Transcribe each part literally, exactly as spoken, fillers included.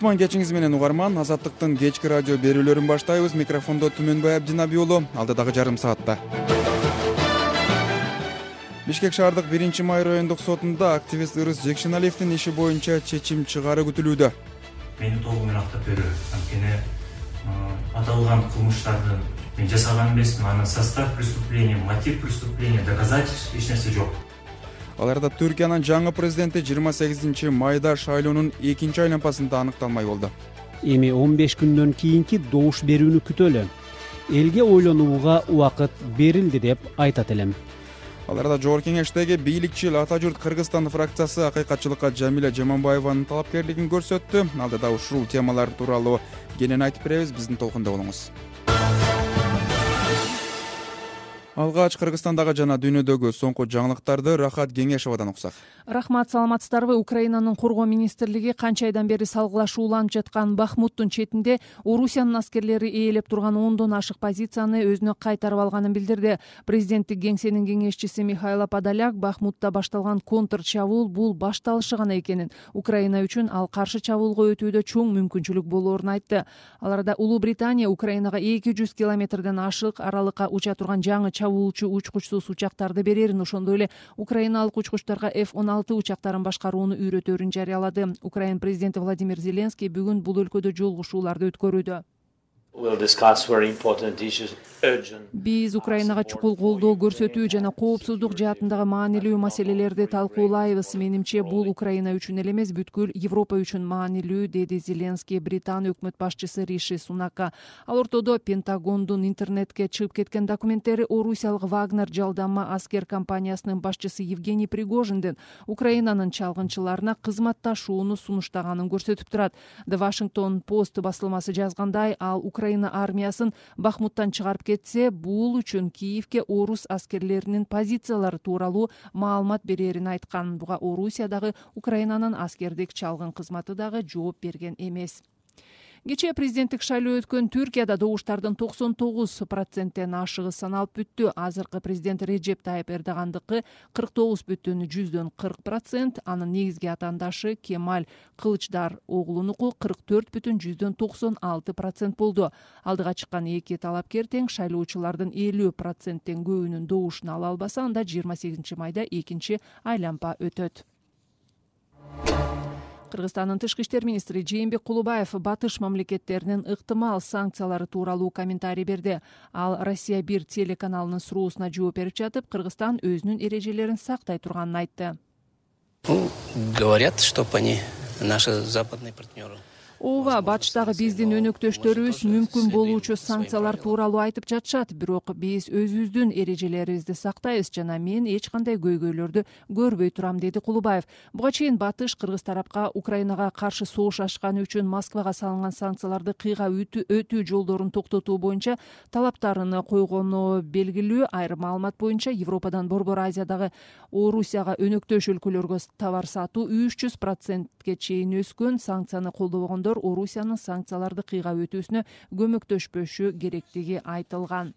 кутман кечиңиз менен угарман. Азаттыктын кечки радио берүүлөрүн баштайбыз. Микрофондо Түмөнбай Абдинаби уулу. Алдыдагы жарым саатта Бишкек шаардык биринчи май райондук сотунда активист Ырыс Жекшеналиевдин иши боюнча чечим чыгаруу күтүлүүдө. Мени толугу менен актап берүү. Анткени аталган кылмыштарды мен жасаган эмесмин. Анын состав преступления, мотив преступления, доказательств эч нерсе жок. Аларда Түркиянын жаңы президенти жыйырма сегизинчи майда шайлоонун экинчи айланпасында аныкталмай болду. Эми он беш күндөн кийинки добуш берүүнү күтөлү. Элге ойлонууга убакыт берилди деп айтат элем. Аларда Жогорку Кеңештеги бийликчил Ата журт Кыргызстан фракциясы акыйкатчылыкка Жамиля Жаманбаеванын талапкерлигин көрсөттү. Алдыда ушул темалар тууралуу кенен айтып беребиз. Биздин толкунда болуңуз. Алгач Кыргызстандагы жана дүйнөдөгү соңку жаңылыктарды Рахат Кеңешовадан уксак. Рахмат, саламатсыздарбы? Украинанын коргоо министрлиги канча айдан бери салгылашууланып жаткан Бахмуттун четинде Орусиянын аскерлери ээлеп турган ондон ашык позицияны өзүнө кайтарып алганын билдирди. Президенттик кеңсенин кеңешчиси Михайло Подоляк Бахмутта башталган контр чабуул бул башталышы гана экенин, Украина үчүн ал каршы чабуулга өтүүдө чоң мүмкүнчүлүк болоорун айтты. Аларда Улуу Британия Украинага эки жүз километрден ашык аралыкка уча турган жаңы чабуулчу учкучсуз учактарды берерин, ошондой эле украиналык учкучтарга эф он алты учактарын башкарууну үйрөтөөрүн жарыялады. Украин президенти Владимир Зеленский бүгүн бул өлкөдө жолугушууларды өткөрүүдө. Биз Украинага чукул колдоо көрсөтүү жана коопсуздук жаатындагы маанилүү маселелерди талкуулайбыз. Менимче бул Украина үчүн эле эмес, бүткүл Европа үчүн маанилүү, деди Зеленский Британ өкмөт башчысы Риши Сунакка. Ал ортодо Пентагондун интернетке чыгып кеткен документтери Орусиялык Вагнер жалданма аскер компаниясынын башчысы Евгений Пригожиндин Украинанын чалгынчыларына кызматташууну сунуштаганын көрсөтүп турат. The Washington Post басылмасы жазгандай, ал Украина армиясын Бахмуттан чыгарып кетсе, бул үчүн Киевке орус аскерлеринин позициялары тууралуу маалымат берерин айткан. Буга Орусиядагы Украинанын аскердик чалгын кызматы дагы жооп берген эмес. Кечээ президенттик шайлоо өткөн Түркияда добуштардын токсон тогуз проценттен ашыгы саналып бүттү. Азыркы президент Реджеп Тайып Эрдогандыкы кырк тогуз бүтүн жүздөн кырк процент, анын негизги атаандашы Кемаль Кылычдар оглунуку кырк төрт бүтүн жүздөн токсон алты процент болду. Алдыга чыккан эки талапкер тең шайлоочулардын элүү проценттен көбүнүн добушун ала албаса, анда жыйырма сегизинчи майда экинчи айланпа өтөт. Кыргызстандын тышкы иштер министри Жээнбек Кулубаев батыш мамлекеттеринин ыктымал санкциялары тууралуу комментарий берди. Ал Россия бир телеканалынын суроосуна жооп берип жатып, Кыргызстан өзүнүн эрежелерин сактай турганын айтты. Говорят, что они наши западные партнеры. Ооба, батыштагы биздин өнөктөштөрүбүз мүмкүн болуучу санкциялар тууралуу айтып жатышат, бирок биз өзүбүздүн эрежелерибизди сактайбыз жана мен эч кандай көйгөйлөрдү көрбөй турам, деди Кулубаев. Буга чейин батыш Кыргыз тарапка Украинага каршы согуш ачканы үчүн Москвага салынган санкцияларды кыйга өтүү жолдорун токтотуу боюнча талаптарын койгону белгилүү. Айрым маалымат боюнча Европадан Борбор Азиядагы Орусияга өнөктөш өлкөлөргө товар сатуу үч жүз процентке чейин өскөн. Санкцияны колдобогондор Орусиянын санкцияларды кыйга өтүүсүнө көмөктөшпөшү керектиги айтылган.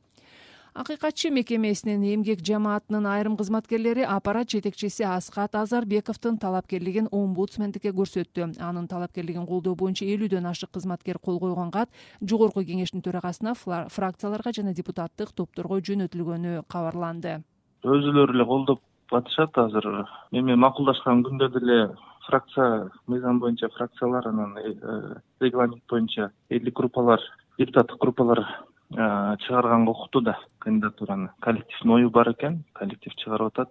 Акыйкатчы мекемесинин эмгек жамаатынын айрым кызматкерлери аппарат жетекчиси Асхат Азарбековдун талапкерлигин омбудсмендикке көрсөттү. Анын талапкерлигин колдоо боюнча элүүдөн ашык кызматкер кол койгон кат Жогорку Кеңештин төрагасына, фракцияларга жана депутаттык топторго жөнөтүлгөнү кабарланды. Өзүлөрү эле колдоп атышат азыр. Эми макулдашкан күндө деле фракция мыйзам боюнча фракцияларынын регламент боюнча элдик группалар, депутаттык группалар чыгарганга укуктуу да кандидатураны. Коллективдин ою бар экен, коллектив чыгарып атат.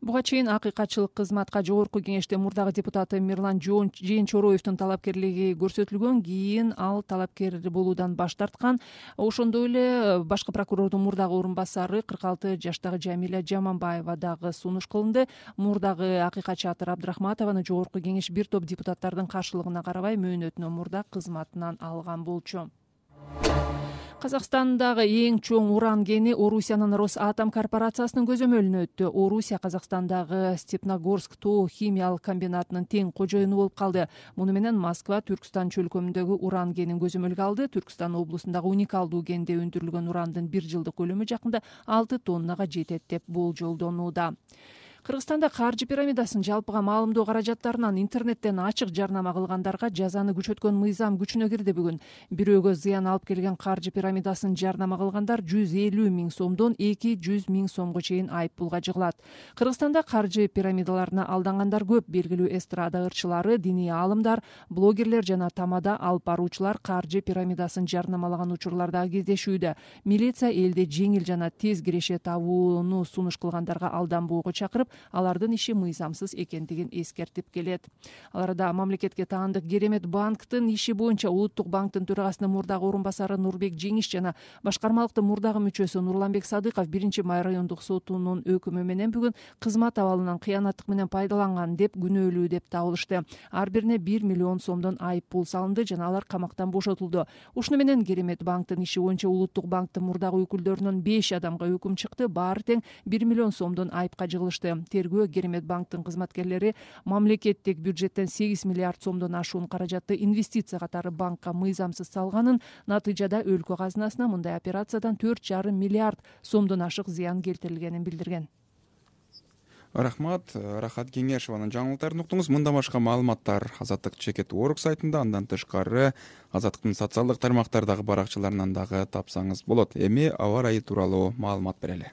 Буга чейин акыйкатчылык кызматка Жогорку Кеңеште мурдагы депутаты Мирлан Жээнчороевдун талапкерлиги көрсөтүлгөн, кийин ал талапкер болуудан баш тарткан. Ошондой эле башкы прокурордун мурдагы орун басары кырк алты жаштагы Жамиля Жаманбаева дагы сунуш кылынды. Мурдагы акыйкатчы Атыр Абдрахматованы Жогорку Кеңеш бир топ депутаттардын каршылыгына карабай мөөнөтүнөн мурда кызматынан алган болчу. Казакстандагы эң чоң уран кени Орусиянын Росатом корпорациясынын көзөмөлүнө өттү. Орусия Казакстандагы Степногорск тоо химиялык комбинатынын тең кожоюну болуп калды. Муну менен Москва Түркстан чөлкөмүндөгү уран кенин көзөмөлгө алды. Түркстан облусундагы уникалдуу кенде өндүрүлгөн урандын бир жылдык көлөмү жакында алты тоннага жетет деп болжолдонууда. Кыргызстанда каржы пирамидасын жалпыга маалымдоо каражаттарынан интернеттен ачык жарнама кылгандарга жазаны күчөткөн мыйзам күчүнө кирди бүгүн. Бирөөгө зыян алып келген каржы пирамидасын жарнама кылгандар жүз элүү миң сомдон эки жүз миң сомго чейин айыппулга жыгылат. Кыргызстанда каржы пирамидаларына алдангандар көп. Белгилүү эстрада ырчылары, диний аалымдар, блогерлер жана тамада алып баруучулар каржы пирамидасын жарнамалаган учурларда кездешүүдө. Милиция элде жеңил жана тез киреше табууну сунуш кылгандарга алданбоого чакырып, алардын иши мыйзамсыз экендигин эскертип келет. Ал арада мамлекетке таандык Керемет банктын иши боюнча Улуттук банктын төрагасынын мурдагы орун басары Нурбек Жеңиш жана башкармалыктын мурдагы мүчөсү Нурланбек Садыков биринчи май райондук сотунун өкүмү менен бүгүн кызмат абалынан кыянаттык менен пайдаланган деп күнөөлүү деп табылышты. Ар бирине бир миллион сомдон айыппул салынды жана алар камактан бошотулду. Ушуну менен Керемет банктын иши боюнча Улуттук банктын мурдагы өкүлдөрүнөн беш адамга өкүм чыкты. Баары тең бир миллион сомдон айыпка жыгылышты. Тергөө Керемет банктын кызматкерлери мамлекеттик бюджеттен сегиз миллиард сомдон ашуун каражатты инвестиция катары банкка мыйзамсыз салганын, натыйжада өлкө казынасына мындай операциядан төрт жарым миллиард сомдон ашык зыян келтирилгенин билдирген. Рахмат, Рахат Кеңешованын жаңылыктарын уктуңуз. Мындан башка маалыматтар Азаттык чекит орг сайтында, андан тышкары Азаттыктын социалдык тармактардагы баракчаларынан дагы тапсаңыз болот. Эми аба ырайы тууралуу маалымат берели.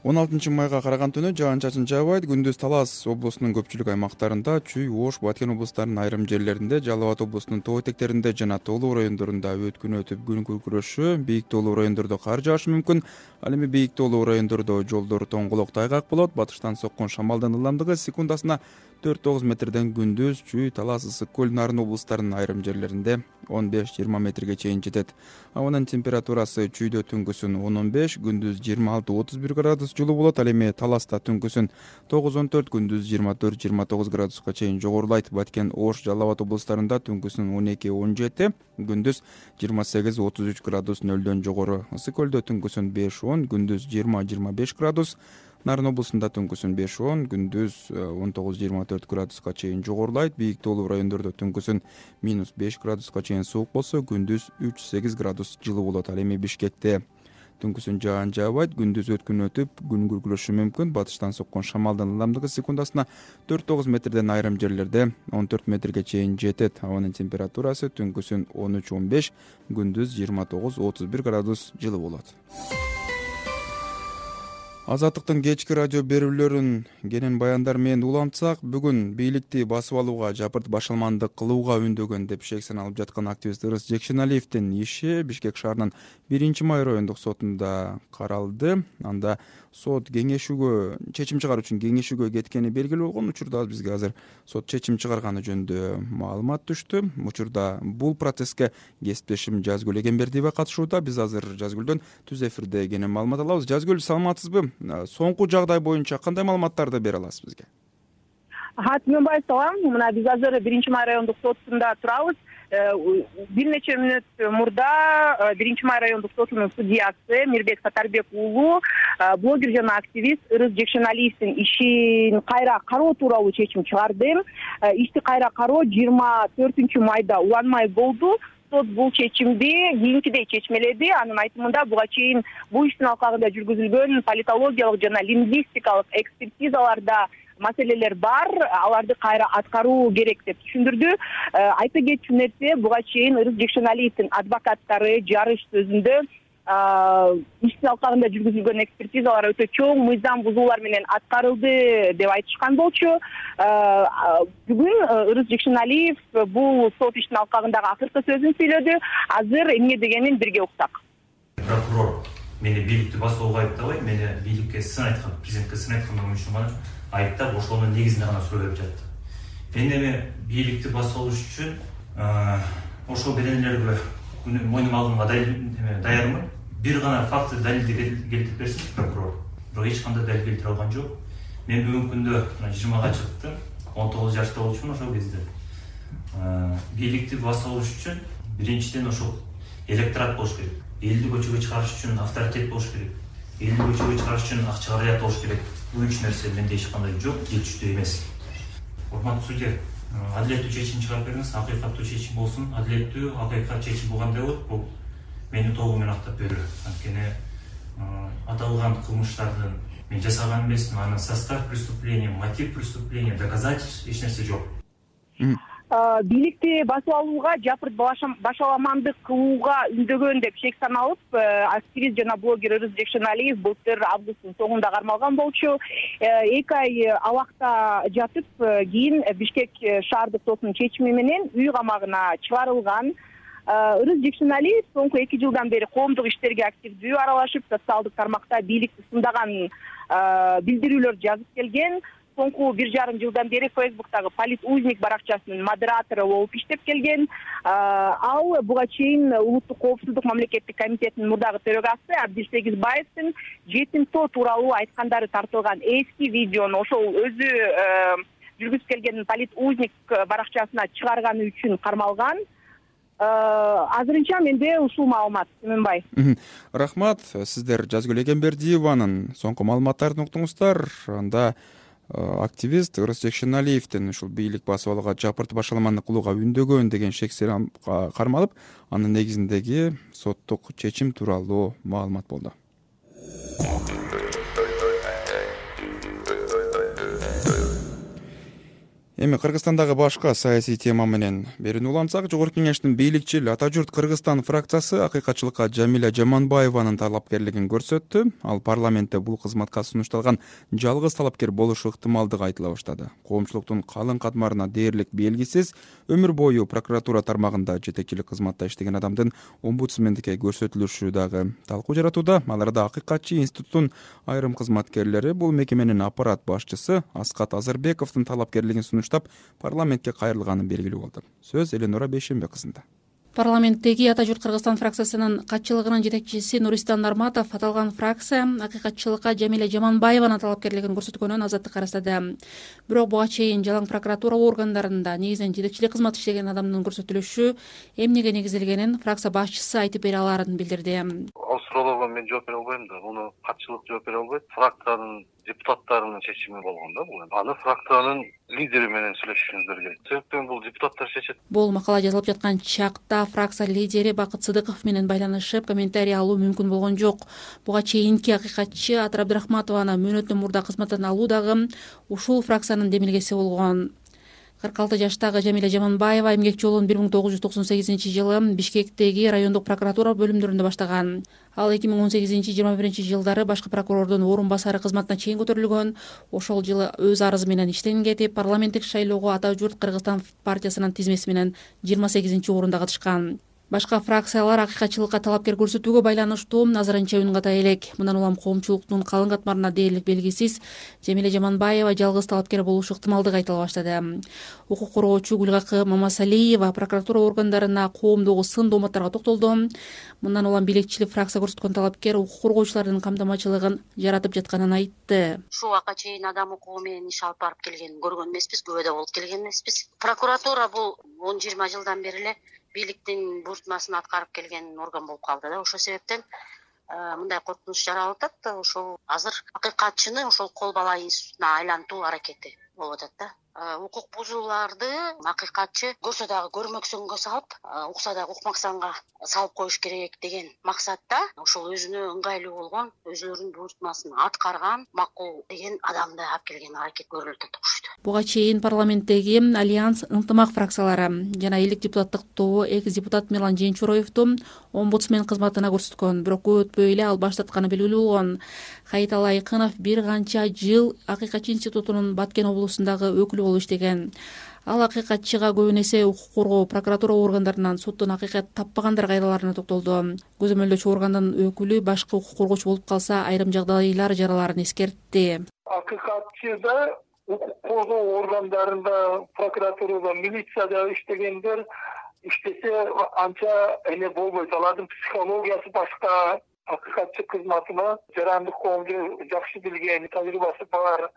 он алтынчы майга караган түнү жаан-чачын жаабайт. Күндүз Талас облусунун көпчүлүк аймактарында, Чүй, Ош, Баткен облустарынын айрым жерлеринде, Жалал Абад облусунун тоо этектеринде жана тоолуу райондорунда өткүн өтүп күн күркүрөшү, бийик тоолуу райондордо кар жаашы мүмкүн. Ал эми бийик тоолуу райондордо жолдор тоңголок тайгак болот. Батыштан соккон шамалдын ылдамдыгы секундасына төрт тогуз метрден күндүз Чүй, Талас, Ысык көл, Нарын облустарынын айрым жерлеринде он беш жыйырма метрге чейин жетет. Абанын температурасы Чүйдө түнкүсүн он он беш, күндүз жыйырма алты отуз бир градус жылуу болот. Ал эми Таласта түнкүсүн тогуз он төрт, күндүз жыйырма төрт жыйырма тогуз градуска чейин жогорулайт. Баткен, Ош, Жалал Абад облустарында түнкүсүн он эки он жети, күндүз жыйырма сегиз отуз үч градус нөлдөн жогору. Ысык көлдө түнкүсүн беш он, күндүз жыйырма жыйырма беш градус. Нарын облусунда түнкүсүн беш он, күндүз он тогуз жыйырма төрт градуска чейин жогорулайт. Бийик тоолуу райондордо түнкүсүн минус беш градуска чейин суук болсо, күндүз үч сегиз градус жылуу болот. Ал эми Бишкекте түнкүсүн жаан жаабайт, күндүз өткүн өтүп күн күркүрөшү мүмкүн. Батыштан соккон шамалдын ылдамдыгы секундасына төрт тогуз метрден, айрым жерлерде он төрт метрге чейин жетет. Абанын температурасы түнкүсүн он үч он беш, күндүз жыйырма тогуз отуз бир градус жылуу болот. Азаттыктын кечки радио берүүлөрүн кенен баяндар менен улантсак, бүгүн бийликти басып алууга, жапырт башалмандык кылууга үндөгөн деп шек саналып жаткан активист Ырыс Жекшеналиевдин иши Бишкек шаарынын биринчи май райондук сотунда каралды. Анда сот кеңешүүгө, чечим чыгаруу үчүн кеңешүүгө кеткени белгилүү болгон. Учурда бизге азыр сот чечим чыгарганы жөнүндө маалымат түштү. Учурда бул процесске кесиптешим Жазгүл Эгембердиева катышууда. Биз азыр Жазгүлдөн түз эфирде кенен маалымат алабыз. Жазгүл, саламатсызбы? Соңку жагдай боюнча кандай маалыматтарды бере аласыз бизге? Ха, Түмөнбаев салам. Мына биз азыр биринчи май райондук сотунда турабыз. Бир нече мүнөт мурда биринчи май райондук сотунун судьясы Мирбек Сатарбек уулу блогер жана активист Ырыс Жекшеналиевдин ишин кайра кароо тууралуу чечим чыгарды. Ишти кайра кароо жыйырма төртүнчү майда уланмай болду. Сот бул чечимди кийинкидей чечмеледи. Анын айтымында буга чейин бул иштин алкагында жүргүзүлгөн политологиялык жана лингвистикалык экспертизаларда маселелер бар, аларды кайра аткаруу керек деп түшүндүрдү. Айта кетчү нерсе, буга чейин Ырыс Жекшеналиевдин адвокаттары жарыш сөзүндө иштин алкагында жүргүзүлгөн экспертизалар өтө чоң мыйзам бузуулар менен аткарылды деп айтышкан болчу. Бүгүн Ырыс Жекшеналиев бул сот иштин алкагындагы акыркы сөзүн сүйлөдү. Азыр эмне дегенин бирге уксак. Прокурор мени бийликти басууга айыптабай, мени бийликке сын айткан, президентке сын айткан үчүн гана айыптап, ошонун негизинде гана суроо берип жатты. Мен эми бийликти басып алыш үчүн ошол беденелерге мойнума алганга даярмын. Бир гана факты далилди келтирип берсин прокурор. Бирок эч кандай далил келтире алган жок. Мен бүгүнкү күндө жыйырмага чыктым. он тогуз жашта болчумун ошол кезде. Бийликти басып алыш үчүн биринчиден ошол электорат болуш керек. Элди көчөгө чыгарыш үчүн авторитет болуш керек. Элди көчөгө чыгарыш үчүн акча каражат болуш керек. Бул үч нерсе менде эч кандай жок, жетиштүү эмес. Урматтуу судья, адилеттүү чечим чыгарып бериңиз, акыйкаттуу чечим болсун. Адилеттүү, акыйкат чечим болгондой болот. Бул мени толугу менен актап берүү. Анткени аталган кылмыштардын мен жасаган эмесмин, анын состав преступления, мотив преступления, доказательств эч нерсе жок. Бийликти басып алууга, жапырт башаламандык кылууга үндөгөн деп шек саналып, активист жана блогер Ырыс Жекшеналиев былтыр августтун соңунда кармалган болчу. Эки ай абакта жатып, кийин Бишкек шаардык сотунун чечими менен үй камагына чыгарылган. Ырыс Жекшеналиев соңку эки жылдан бери коомдук иштерге активдүү аралашып, социалдык тармакта бийликти сындаган билдирүүлөр жазып келген. Соңку бир жарым жылдан бери Фейсбуктагы Политузник баракчасынын модератору болуп иштеп келген. Ал буга чейин Улуттук коопсуздук мамлекеттик комитетинин мурдагы төрагасы Абдил Сегизбаевдин жетим тоо тууралуу айткандары тартылган эски видеону ошол өзү жүргүзүп келген Политузник баракчасына чыгарганы үчүн кармалган. Азырынча менде ушул маалымат, Сүймөнбай. Рахмат. Сиздер Жазгүл Эгембердиеванын соңку маалыматтарын уктуңуздар. Анда активист Ырыс Жекшеналиевдин ушул бийлик басып алууга, жапырт башаламандык кылууга үндөгөн деген шексер кармалып, анын негизиндеги соттук чечим тууралуу маалымат болду. Эми Кыргызстандагы башка саясий тема менен берүүнү улантсак, Жогорку Кеңештин бийликчил Ата журт Кыргызстан фракциясы акыйкатчылыкка Жамиля Жаманбаеванын талапкерлигин көрсөттү. Ал парламентте бул кызматка сунушталган жалгыз талапкер болушу ыктымалдыгы айтыла баштады. Коомчулуктун калың катмарына дээрлик белгисиз, өмүр бою прокуратура тармагында жетекчилик кызматта иштеген адамдын омбудсмендикке көрсөтүлүшү дагы талкуу жаратууда. Аларда Акыйкатчы институттун айрым кызматкерлери бул мекеменин аппарат башчысы Аскат Азарбековдун талапкерлигин сунуштап парламентке кайрылганы белгилүү болду. Сөз Эленора Бейшембек кызында. Парламенттеги Ата журт Кыргызстан фракциясынын катчылыгынын жетекчиси Нуристан Нарматов аталган фракция акыйкатчылыкка Жамиля Жаманбаеванын талапкерлигин көрсөткөнүн азаттыкка арастады. Бирок буга чейин жалаң прокуратура органдарында негизинен жетекчилик кызмат иштеген адамдын көрсөтүлүшү эмнеге негизделгенин фракция башчысы айтып бере аларын билдирди. Ал суроолорго мен жооп бере албайм да, муну катчылык жооп бере албайт. Фракциянын депутаттарынын чечими болгон да бул. Аны фракциянын лидери менен сүйлөшүшүңүздөр керек. Себептен бул депутаттар чечет. Бул макала жазылып жаткан чакта фракция лидери Бакыт Сыдыков менен байланышып, комментарий алуу мүмкүн болгон жок. Буга чейинки акыйкатчы Атыр Абдрахматованы мөөнөттөн мурда кызматтан алуу дагы ушул фракциянын демилгеси болгон. кырк алты жаштагы Жамиля Жаманбаева эмгек жолун бир миң тогуз жүз токсон сегизинчи жылы Бишкектеги райондук прокуратура бөлүмдөрүндө баштаган. Ал эки миң он сегизинчи жыйырма биринчи жылдары башкы прокурордун орун басары кызматына чейин көтөрүлгөн. Ошол жылы өз арызы менен иштен кетип, парламенттик шайлоого Ата журт Кыргызстан партиясынын тизмеси менен жыйырма сегизинчи орунда катышкан. Башка фракциялар акыйкатчылыкка талапкер көрсөтүүгө байланыштуу азырынча үн ката элек. Мындан улам коомчулуктун калың катмарына дээрлик белгисиз Жамиля Жаманбаева жалгыз талапкер болушу ыктымалдыгы айтыла баштады. Укук коргоочу Гүлгакы Мамасалиева прокуратура органдарына коомдогу сын дооматтарга токтолду. Мындан улам бийликчилик фракция көрсөткөн талапкер укук коргоочулардын камтамачылыгын жаратып жатканын айтты. Ушул убакка чейин адам укугу менен иш алып барып келгенин көргөн эмеспиз, күбөдө болуп келген эмеспиз. Прокуратура бул он жыйырма жылдан бери эле бийликтин буйртмасын аткарып келген орган болуп калды да. Ошол себептен мындай коркунуч жаралып атат. Ошол азыр акыйкатчыны ошол кол бала институтуна айлантуу аракети болуп атат да. Укук бузууларды акыйкатчы көрсө дагы көрмөксөнгө салып, укса дагы укмаксанга салып коюш керек деген максатта ошол өзүнө ыңгайлуу болгон, өзүлөрүнүн буйртмасын аткарган макул деген адамды алып келген аракет көрүлүп атат. Буга чейин парламенттеги Альянс ынтымак фракциялары жана элдик депутаттык тобу экс-депутат Мирлан Женчуроевду омбудсмен кызматына көрсөткөн, бирок көп өтпөй эле ал баш тартканы белгилүү болгон. Хайытал Айкынов бир канча жыл Акыйкатчы институтунун Баткен облусундагы өкүлү болуп иштеген. Ал акыйкатчыга көбүн эсе укук коргоо прокуратура органдарынан соттон акыйкат таппагандар кайраларына токтолду. Көзөмөлдөөчү органдын өкүлү башкы укук коргоочу болуп калса айрым жагдайлар жараларын эскертти. Акыйкатчыда укук коргоо органдарында, прокуратурада, милицияда иштегендер иштесе анча эне болбойт. Алардын психологиясы башка. Акыйкатчы кызматына жарандык коомду жакшы билген, тажрыйбасы бар,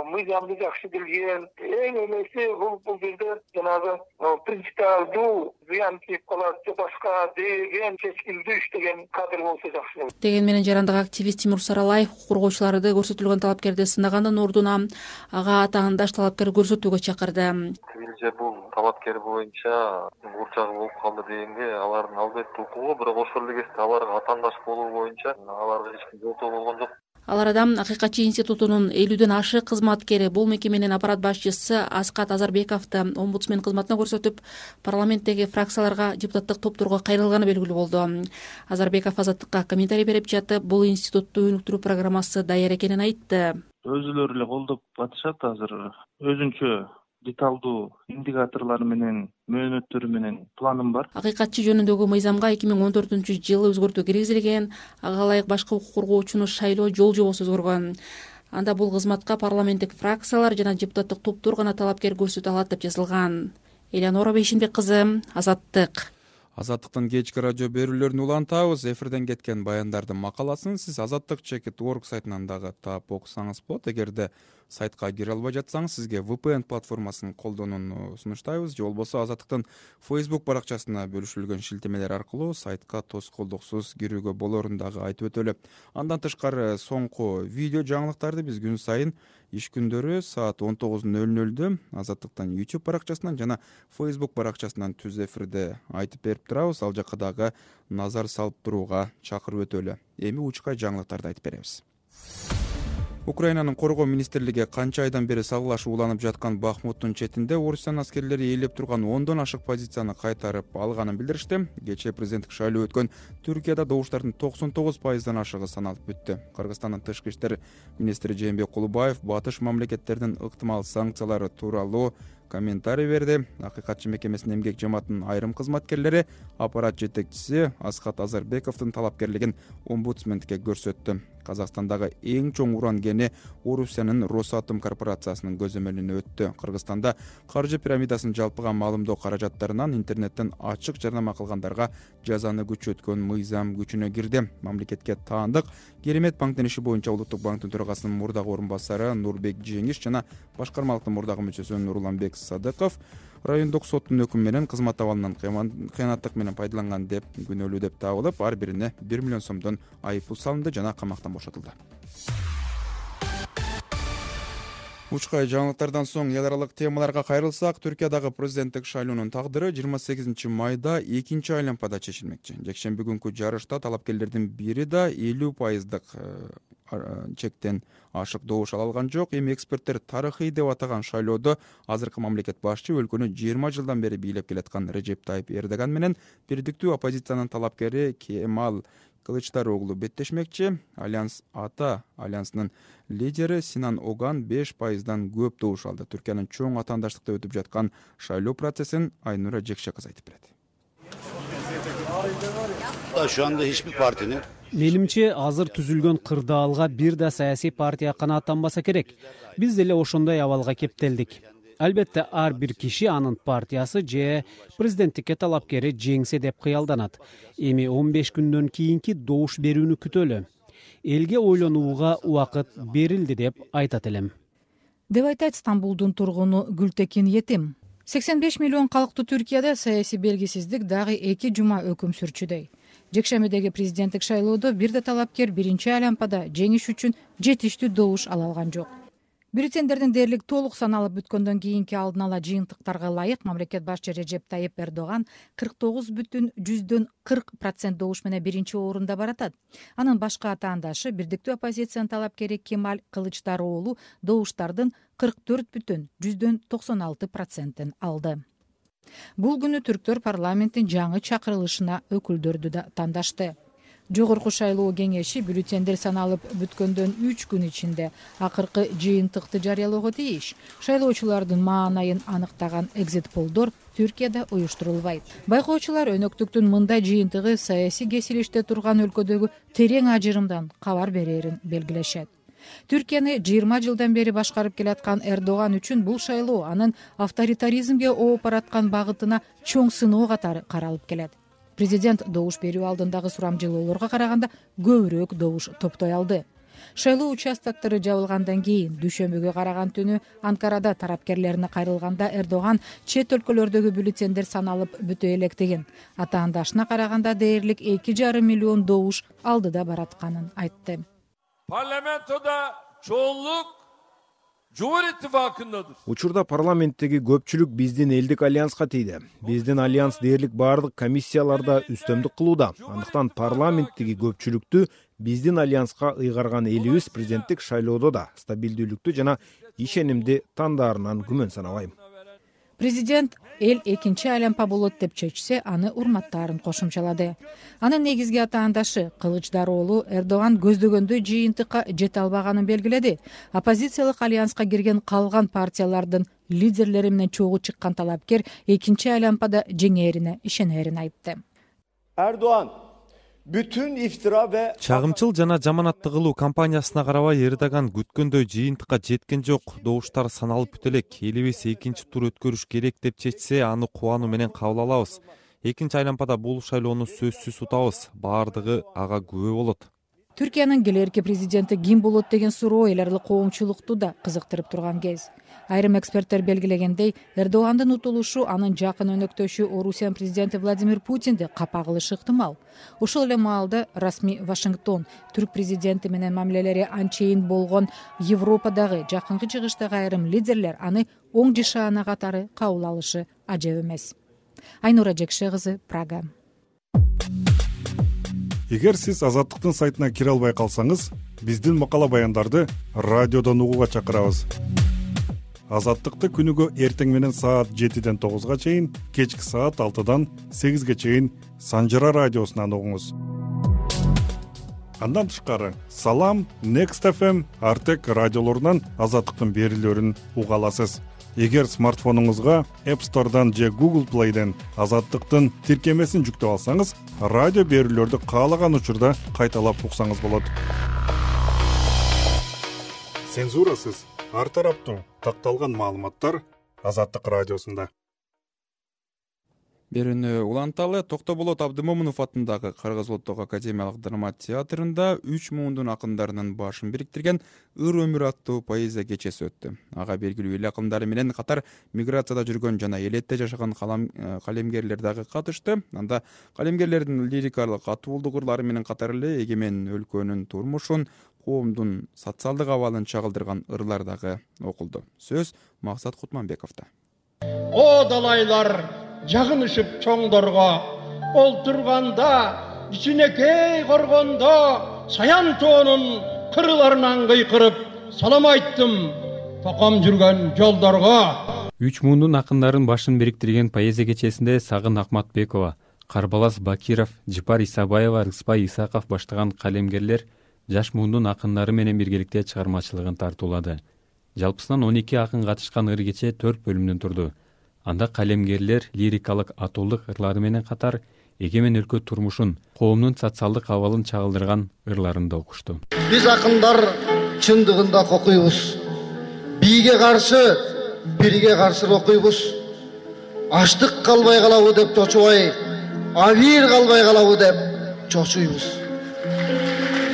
мыйзамды жакшы билген. Эң эмеси бул бул жерде жанагы принципиалдуу зыян тийип калат же башка деген чечкиндүү иштеген кадр болсо жакшы болот. Деген менен жарандык активист Тимур Саралаев укук коргоочуларды көрсөтүлгөн талапкерди сынагандын ордуна ага атаандаш талапкер көрсөтүүгө чакырды. Бул талапкер боюнча бурчагы болуп калды дегенге алардын албетте укугу, бирок ошол эле кезде аларга атаандаш болуу боюнча аларга эч ким жооптоо болгон жок. Ал арада Акыйкатчы институтунун элүүдөн ашык кызматкери, бул мекеменин аппарат башчысы Аскат Азарбековду омбудсмен кызматына көрсөтүп, парламенттеги фракцияларга, депутаттык топторго кайрылганы белгилүү болду. Азарбеков Азаттыкка комментарий берип жатып, бул институтту өнүктүрүү программасы даяр экенин айтты. Өзүлөрү эле колдоп атышат азыр. Өзүнчө деталдуу индикаторлор менен, мөөнөттөрү менен планым бар. Акыйкатчы жөнүндөгү мыйзамга эки миң он төртүнчү жылы өзгөртүү киргизилген, ага ылайык башкы укук коргоочуну шайлоо жол жобосу өзгөргөн. Анда бул кызматка парламенттик фракциялар жана депутаттык топтор гана талапкер көрсөтө алат деп жазылган. Элеонора Бейшенбек кызы, Азаттык. Азаттыктын кечки радио берүүлөрүн улантабыз. Эфирден кеткен баяндардын макаласын сиз азаттык чекит точка орг сайтынан дагы таап окусаңыз болот. Эгерде сайтка кире албай жатсаңыз, сизге ви пи эн платформасын колдонууну сунуштайбыз. Же болбосо Азаттыктын Facebook баракчасына бөлүшүлгөн шилтемелер аркылуу сайтка тоскоолдуксуз кирүүгө болорун дагы айтып өтөлү. Андан тышкары соңку видео жаңылыктарды биз күн сайын иш күндөрү саат он тогуз ноль нолдо Азаттыктын YouTube баракчасынан жана Facebook баракчасынан түз эфирде айтып берип турабыз. Ал жакка дагы назар салып турууга чакырып өтөлү. Эми учкай жаңылыктарды айтып беребиз. Украинанын коргоо министрлиги канча айдан бери салгылашып уланып жаткан Бахмуттун четинде Орусстан аскерлери ээлеп турган ондон ашык позицияны кайтарып алганын билдиришти. Кечээ президенттик шайлоо өткөн Түркияда добуштардын токсон тогуз пайыздан ашыгы саналып бүттү. Кыргызстандын тышкы иштер министри Жээнбек Кулубаев батыш мамлекеттердин ыктымал санкциялары тууралуу комментарий берди. Акыйкатчы мекемесинин эмгек жамаатынын айрым кызматкерлери аппарат жетекчиси Аскат Азарбековдун талапкерлигин омбудсмендке көрсөттү. Казакстандагы эң чоң уран кени Орусиянын Росатом корпорациясынын көзөмөлүнө өттү. Кыргызстанда каржы пирамидасын жалпыга маалымдоо каражаттарынан интернеттен ачык жарнама кылгандарга жазаны күчөткөн мыйзам күчүнө кирди. Мамлекетке таандык Керемет банктын иши боюнча Улуттук банктын төрагасынын мурдагы орун басары Нурбек Жеңиш жана башкармалыктын мурдагы мүчөсү Нурланбек Садыков райондук соттун өкүмү менен кызмат абалынан кыянаттык менен пайдаланган деп күнөөлүү деп табылып, ар бирине бир миллион сомдон айыппул салынды жана камактан бошотулду. Учкай жаңылыктардан соң эл аралык темаларга кайрылсак, Түркиядагы президенттик шайлоонун тагдыры жыйырма сегизинчи майда экинчи айланпада чечилмекчи. Жекшемби күнкү жарышта талапкерлердин бири да элүү пайыздык чектен ашык добуш ала алган жок. Эми эксперттер тарыхый деп атаган шайлоодо азыркы мамлекет башчы өлкөнү жыйырма жылдан бери бийлеп келаткан Режеп Тайып Эрдоган менен бирдиктүү оппозициянын талапкери Кемал Кылычдароглу беттешмекчи. Альянс Ата альянсынын лидери Синан Оган беш пайыздан көп добуш алды. Түркиянын чоң атаандаштыкта өтүп жаткан шайлоо процессин Айнура Жекше кызы айтып берет. Şu anda hiçbir partinin Менимче азыр түзүлгөн кырдаалга бир да саясий партия канааттанбаса керек. Биз деле ошондой абалга кептелдик. Албетте ар бир киши анын партиясы же президенттикке талапкери жеңсе деп кыялданат. Эми он беш күндөн кийинки добуш берүүнү күтөлү. Элге ойлонууга убакыт берилди деп айтат элем. Деп айтат Стамбулдун тургуну Гүлтекин Етим. сексен беш миллион калктуу Түркияда саясий белгисиздик дагы эки жума өкүм сүрчүдөй. Жекшембидеги президенттик шайлоодо бир да талапкер биринчи айланпада жеңиш үчүн жетиштүү добуш ала алган жок. Бюллетендердин дээрлик толук саналып бүткөндөн кийинки алдын ала жыйынтыктарга ылайык мамлекет башчы Режеп Тайып Эрдоган кырк тогуз бүтүн жүздөн кырк процент добуш менен биринчи орунда баратат. Анын башка атаандашы бирдиктүү оппозициянын талапкери Кемал Кылычдароглу добуштардын кырк төрт бүтүн жүздөн токсон алты процентин алды. Бул күнү түрктөр парламенттин жаңы чакырылышына өкүлдөрдү да тандашты. Жогорку шайлоо кеңеши бюллетендер саналып бүткөндөн үч күн ичинде акыркы жыйынтыкты жарыялоого тийиш. Шайлоочулардын маанайын аныктаган экзит-полдор Түркияда уюштурулбайт. Байкоочулар өнөктүктүн мындай жыйынтыгы саясий кесилиште турган өлкөдөгү терең ажырымдан кабар берерин белгилешет. Түркияны жыйырма жылдан бери башкарып келаткан Эрдоган үчүн бул шайлоо анын авторитаризмге ооп бараткан багытына чоң сыноо катары каралып келет. Президент добуш берүү алдындагы сурамжылоолорго караганда көбүрөөк добуш топтой алды. Шайлоо участоктору жабылгандан кийин дүйшөмбүгө караган түнү Анкарада тарапкерлерине кайрылганда Эрдоган чет өлкөлөрдөгү бюллетендер саналып бүтө электигин, атаандашына караганда дээрлик эки жарым миллион добуш алдыда баратканын айтты. Parlamentoda çoğunluk Cumhur İttifakı'ndadır. Учурда парламенттеги көпчүлүк биздин элдик альянска тийди. Биздин альянс дээрлик баардык комиссияларда үстөмдүк кылууда. Андыктан парламенттеги көпчүлүктү биздин альянска ыйгарган элибиз президенттик шайлоодо да стабилдүүлүктү жана ишенимди тандаарынан күмөн санабайм. Президент эл экинчи айлампа болот деп чечсе, аны урматтаарын кошумчалады. Анын негизги атаандашы Кылычдароğlu Эрдоган көздөгөндөй жыйынтыкка жете албаганын белгиледи. Оппозициялык альянска кирген калган партиялардын лидерлери менен чогуу чыккан талапкер экинчи айлампада жеңээрине ишенерин айтты. Erdoğan bütün iftira ve чагымчыл жана жаманатты кылуу кампаниясына карабай Эрдоган күткөндөй жыйынтыкка жеткен жок. Добуштар саналып бүт элек. Элибиз экинчи тур өткөрүш керек деп чечсе, аны кубануу менен кабыл алабыз. Экинчи айлампада бул шайлоону сөзсүз утабыз. Баардыгы ага күбө болот. Түркиянын келерки президенти ким болот деген суроо эл аралык коомчулукту да кызыктырып турган кез. Айрым эксперттер белгилегендей, Эрдогандын утулушу анын жакын өнөктөшү Орусиян президенти Владимир Путинди капа кылышы ыктымал. Ошол эле маалда расмий Вашингтон түрк президенти менен мамилелери анчейин болгон Европадагы жакынкы чыгыштагы айрым лидерлер аны оң жишаана катары кабыл алышы ажеп эмес. Айнура Жекше кызы, Прага. Эгер сиз Азаттыктын сайтына кире албай калсаңыз, биздин макала баяндарды радиодон угууга чакырабыз. Азаттыкты күнүгө эртең менен саат жетиден тогузга чейин, кечки саат алтыдан сегизге чейин Санжара радиосунан угуңуз. Андан тышкары Салам, Next эф эм, Артек радиолорунан Азаттыктын берүүлөрүн уга аласыз. Эгер смартфонуңузга App Store'дан же Google Play'ден Азаттыктын тиркемесин жүктөп алсаңыз, радио берүүлөрдү каалаган учурда кайталап уксаңыз болот. Цензурасыз, ар тараптуу такталган маалыматтар Азаттык радиосунда. Берүүнү уланталы. Токтоболот Абдымомунов атындагы Кыргыз Улуттук академиялык драма театрында үч мундун акындарынын башын бириктирген Ыр өмүр аттуу поэзия кечеси өттү. Ага белгилүү эл акындары менен катар миграцияда жүргөн жана элетте жашаган калемгерлер дагы катышты. Анда калемгерлердин лирикалык атуулдук ырлары менен катар эле эгемен өлкөнүн турмушун, коомдун социалдык абалын чагылдырган ырлар дагы окулду. Сөз Максат Кутманбековдо. О далайлар жагынышып чоңдорго, олтурганда ичинекей коргондо саян тоонун кырларынан кыйкырып салам айттым током жүргөн жолдорго. Үч мундун акындарын башын бириктирген поэзия кечесинде Сагын Акматбекова, Карбалас Бакиров, Жипар Исабаева, Рыспай Исаков баштаган калемгерлер жаш мундун акындары менен биргеликте чыгармачылыгын тартуулады. Жалпысынан он эки акын катышкан ыр кече төрт бөлүмдөн турду. Анда калемгерлер лирикалык атуулдук ырлары менен катар эгемен өлкө турмушун, коомдун социалдык абалын чагылдырган ырларын да окушту. Биз акындар чындыгында окуйбуз. Бийге каршы, бирге каршы окуйбуз. Аштык калбай калабы деп чочубай, абийир калбай калабы деп чочуйбуз.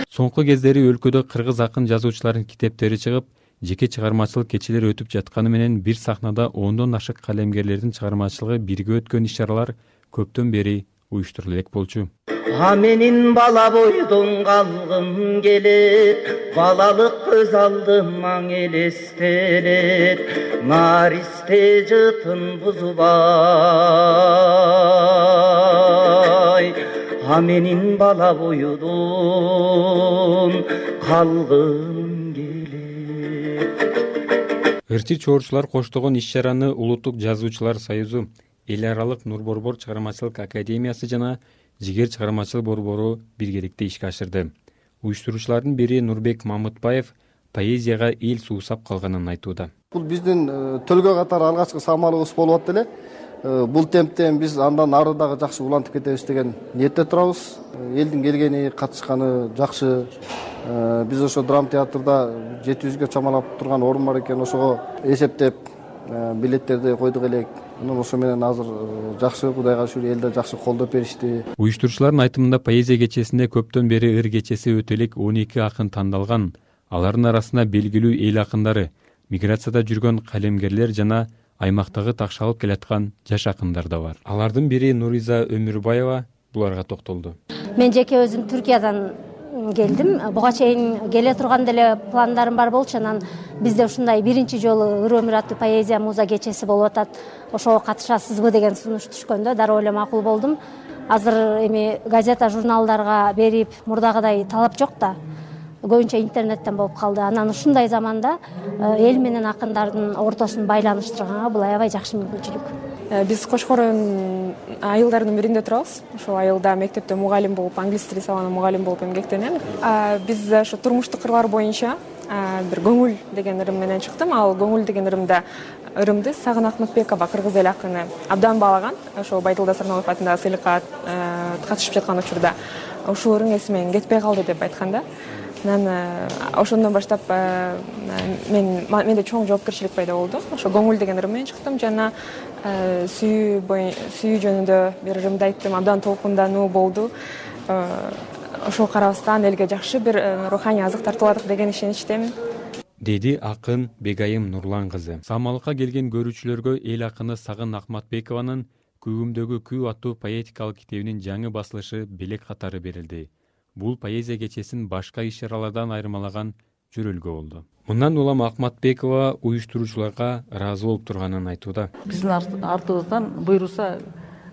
Соңку кездери өлкөдө кыргыз акын жазуучулардын китептери чыгып, жеке чыгармачылык кечелер өтүп жатканы менен бир сахнада ондон ашык калемгерлердин чыгармачылыгы бирге өткөн иш-чаралар көптөн бери уюштурула элек болчу. А менин бала бойдон калгым келет, балалык көз алдыма элестелет, наристе жытын бузбай. А менин бала бойдон калгым келет. Ырчы чоорчулар коштогон иш-чараны Улуттук жазуучулар союзу, Эл аралык Нур Борбор чыгармачылык академиясы жана Жигер чыгармачылык борбору биргеликте ишке ашырды. Уюштуруучулардын бири Нурбек Мамытбаев поэзияга эл суусап калганын айтууда. Бул биздин төлгө катары алгачкы самалыбыз болуп атты эле. Бул темптен биз андан ары дагы жакшы улантып кетебиз деген ниетте турабыз. Элдин келгени, катышканы жакшы. Биз ошо драма театрда жети жүзгө чамалап турган орун бар экен, ошого эсептеп билеттерди койдук элек. Анан ошо менен азыр жакшы, Кудайга шүгүр, элде жакшы колдоп беришти. Уюштуруучулардын айтымында поэзия кечесинде көптөн бери ыр кечеси өтө элек он эки акын тандалган. Алардын арасында белгилүү эл акындары, миграцияда жүргөн калемгерлер жана аймактагы такшалып келаткан жаш акындар да бар. Алардын бири Нуриза Өмүрбаева буларга токтолду. Мен жеке өзүм Түркиядан келдим. Буга чейин келе турган деле пландарым бар болчу. Анан бизде ушундай биринчи жолу Ыр өмүр аттуу поэзия муза кечеси болуп атат. Ошого катышасызбы деген сунуш түшкөндө дароо эле макул болдум. Азыр эми газета журналдарга берип мурдагыдай талап жок да. Көбүнчө интернеттен болуп калды. Анан ушундай заманда эл менен акындардын ортосун байланыштырганга бул аябай жакшы мүмкүнчүлүк. Биз Кошкор районунун айылдарынын биринде турабыз. Ошол айылда мектепте мугалим болуп, англис тили сабагында мугалим болуп эмгектенем. Биз ошо турмуштук кырлар боюнча бир көңүл деген ырым менен чыктым. Ал көңүл деген ырымда ырымды Сагын Акматбекова кыргыз эл акыны абдан баалаган. Ошол Байдылда Сарналов атындагы сыйлыкка катышып жаткан учурда ушул ырым эсимен кетпей калды деп айтканда. Анан ошондон баштап мен менде чоң жоопкерчилик пайда болду. Ошо көңүл деген ырым менен чыктым. Жана сүйүү сүйүү жөнүндө бир ырымды айттым. Абдан толкундануу болду. Ошол карабастан элге жакшы бир руханий азык тартыладык деген ишеничтемин, деди акын Бегайым Нурлан кызы. Самалыкка келген көрүүчүлөргө эл акыны Сагын Акматбекованын Күүгүмдөгү күү аттуу поэтикалык китебинин жаңы басылышы белек катары берилди. Бул поэзия кечесин башка иш-чаралардан айырмалаган жөрөлгө болду. Мындан улам Акматбекова уюштуруучуларга ыраазы болуп турганын айтууда. Биздин артыбыздан буйруса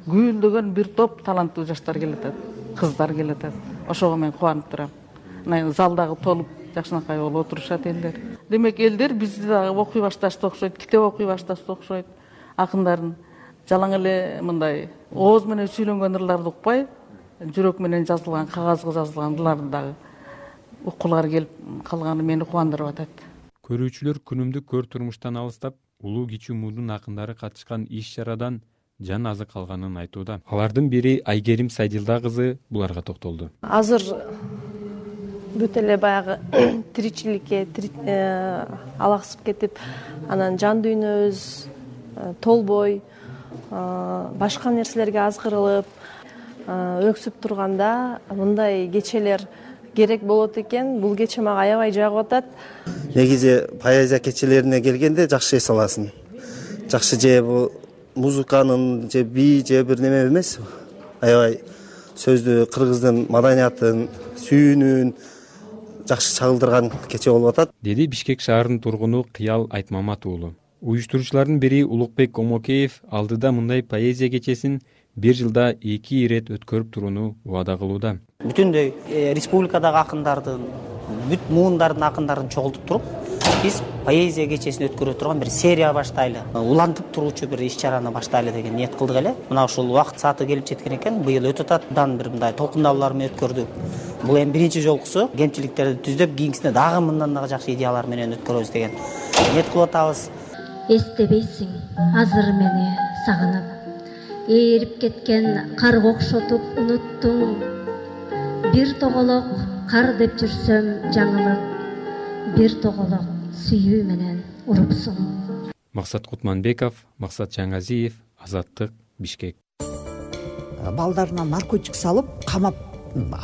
күйлдөгөн бир топ таланттуу жаштар келатат, кыздар келатат. Ошого мен кубанып турам. Мына залдагы толуп жакшынакай болуп отурушат элдер. Демек элдер бизди дагы окуй башташты окшойт, китеп окуй башташты окшойт. Акындардын жалаң эле мындай ооз менен сүйлөнгөн ырларды укпай, жүрөк менен жазылган, кагазга жазылган ырларды дагы уккулары келип калганы мени кубандырып атат. Көрүүчүлөр күнүмдүк көр турмуштан алыстап, улуу кичүү муудун акындары катышкан иш-чарадан жан азык алганын айтууда. Алардын бири Айгерим Сайдилда кызы буларга токтолду. Азыр бүт эле баягы тиричиликке алаксып кетип, анан жан дүйнөбүз толбой, башка нерселерге азгырылып, өксүп турганда мындай кечелер керек болот экен. Бул кече мага аябай жагып атат. Негизи поэзия кечелерине келгенде жакшы эс аласың. Жакшы же бул музыканын же би же бир неме эмес. Аябай сөздү кыргыздын маданиятын, сүйүүнүн жакшы чагылдырган кече болуп атат, деди Бишкек шаарынын тургуну Кыял Айтмамат уулу. Уюштуруучулардын бири Улукбек Омокеев алдыда мындай поэзия кечесин бир жылда эки ирет өткөрүп турууну убада кылууда. Бүтүндөй республикадагы акындардын, бүт муундардын акындарын чогултуп туруп, биз поэзия кечесин өткөрө турган бир серия баштайлы, улантып туруучу бир иш-чараны баштайлы деген ниет кылдык эле. Мына ушул убакыт сааты келип жеткен экен. Быйыл өтө татдан бир мындай толкундалуулар менен өткөрдүк. Бул эми биринчи жолкусу кемчиликтерди түздөп, кийинкисине дагы мындан дагы жакшы идеялар менен өткөрөбүз деген ниет кылып атабыз. Эстебейсиң азыр мени сагынып, ээрип кеткен карга окшотуп унуттуң. Бир тоголок кар деп жүрсөм жаңылып, бир тоголок сүйүү менен урупсуң. Максат Кутманбеков, Максат Жаңазиев, Азаттык, Бишкек. Балдарына наркотик салып, камап,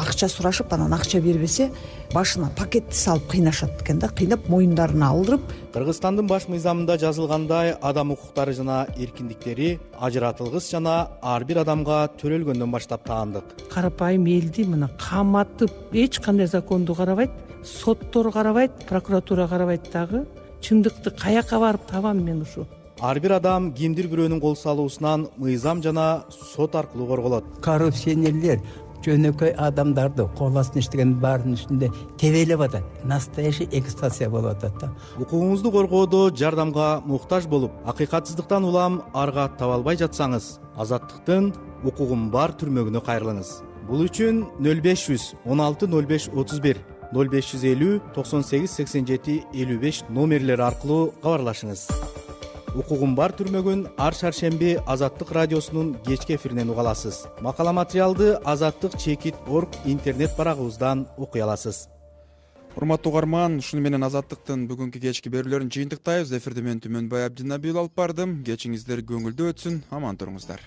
акча сурашып, анан акча бербесе, башына пакетти салып кыйнашат экен да, кыйнап моюндарына алдырып. Кыргызстандын баш мыйзамында жазылгандай, адам укуктары жана эркиндиктери ажыратылгыс жана ар бир адамга төрөлгөндөн баштап таандык. Карапайым элди мына каматып, эч кандай законду карабайт, соттор карабайт, прокуратура карабайт дагы. Чындыкты каяка барып табам мен ушу? Ар бир адам кимдир бирөөнүн кол салуусунан мыйзам жана сот аркылуу корголот. Коррупционерлер жөнөкөй адамдарды кол астына иштеген баардын үстүндө тебелеп атат. Настоящий эксплуатация болуп атат да. Укугуңузду коргоодо жардамга муктаж болуп, акыйкатсыздыктан улам арга таба албай жатсаңыз, Азаттыктын укугум бар түрмөгүнө кайрылыңыз. Бул үчүн нөл беш жүз он алты нөл беш отуз бир, нөл беш жүз элүү токсон сегиз сексен жети элүү беш номерлери аркылуу кабарлашыңыз. Укугум бар түрмөгүн ар шаршемби Азаттык радиосунун кечки эфиринен уга аласыз. Макала материалды азаттык чекит точка орг интернет барагыбыздан окуй аласыз. Урматтуу угарман, ушуну менен Азаттыктын бүгүнкү кечки берүүлөрүн жыйынтыктайбыз. Эфирде мен Түмөнбай Абдинабиев алып бардым. Кечиңиздер көңүлдүү өтсүн, аман туруңуздар.